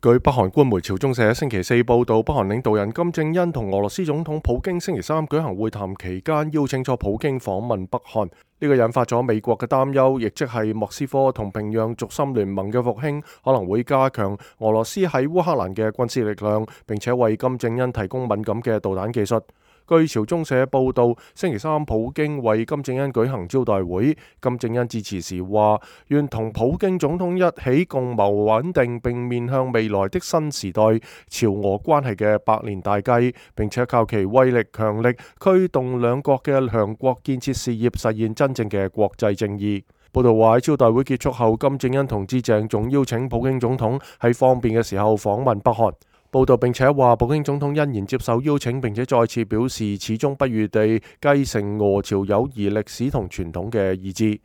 據北韓官媒朝中社星期四報道，北韓領導人金正恩同俄羅斯總統普京星期三舉行會談期間，邀請咗普京訪問北韓。呢個引發咗美國嘅擔憂，亦即係莫斯科同平壤軸心聯盟嘅復興可能會加強俄羅斯喺烏克蘭嘅軍事力量，並且為金正恩提供敏感嘅導彈技術。據朝中社報道，星期三普京為金正恩舉行招待會。金正恩致辭時話：願同普京總統一起共謀穩定並面向未來的新時代朝俄關係嘅百年大計，並且靠其威力強力驅動兩國嘅強國建設事業，實現真正嘅國際正義。報道話喺招待會結束後，金正恩同志鄭重邀請普京總統喺方便嘅時候訪問北韓。報道並且話，普京總統欣然接受邀請，並且再次表示始終不渝地繼承俄朝友誼歷史同傳統嘅意志。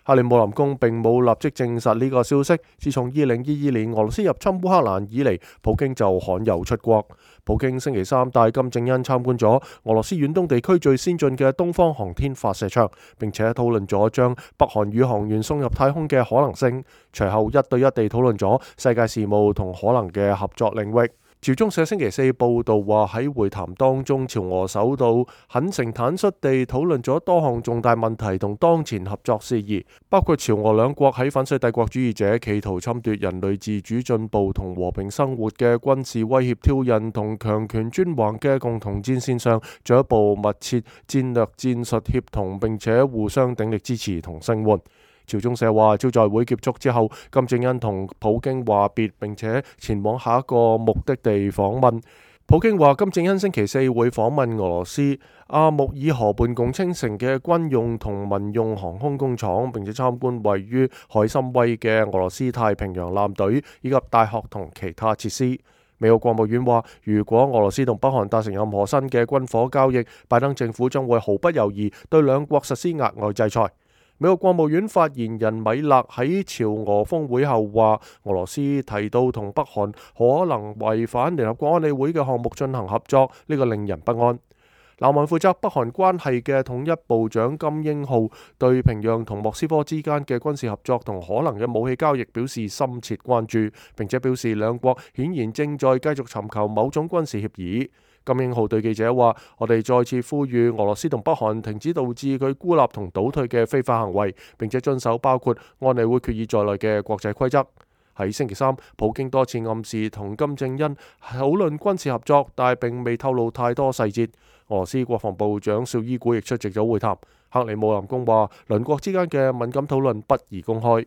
克里姆林宮並冇立即證實呢個消息。自從2022年俄羅斯入侵烏克蘭以嚟，普京就罕有出國。普京星期三帶金正恩參觀咗俄羅斯遠東地區最先進嘅東方航天發射場，並且討論咗將北韓宇航員送入太空嘅可能性。隨後一對一地討論咗世界事務同可能嘅合作領域。朝中社星期四報道話，喺會談當中，朝俄首腦懇誠坦率地討論咗多項重大問題同當前合作事宜，包括朝俄兩國喺反世帝國主義者企圖侵奪人類自主進步同和平生活嘅軍事威脅挑釁同強權專橫嘅共同戰線上進一步密切戰略戰術協同，並且互相鼎力支持同聲援。朝中社話，招待會結束之後，金正恩同普京話別，並且前往下一個目的地訪問。普京話，金正恩星期四會訪問俄羅斯阿穆爾河畔共青城嘅軍用同民用航空工廠，並且參觀位於海參崴嘅俄羅斯太平洋艦隊以及大學同其他設施。美國國務院話，如果俄羅斯同北韓達成任何新嘅軍火交易，拜登政府將會毫不猶豫對兩國實施額外制裁。美國國務院發言人米勒喺朝俄峰會後話，俄羅斯提到同北韓可能違反聯合國安理會嘅項目進行合作，呢個令人不安。南韓負責北韓關係嘅統一部長金英浩對平壤同莫斯科之間嘅軍事合作同可能嘅武器交易表示深切關注，並且表示兩國顯然正在繼續尋求某種軍事協議。金英浩對記者話：我哋再次呼籲俄羅斯同北韓停止導致佢孤立同倒退嘅非法行為，並且遵守包括安理會決議在內嘅國際規則。喺星期三，普京多次暗示同金正恩討論軍事合作，但係並未透露太多細節。俄羅斯國防部長紹伊古亦出席咗會談。克里姆林宮話，鄰國之間嘅敏感討論不宜公開。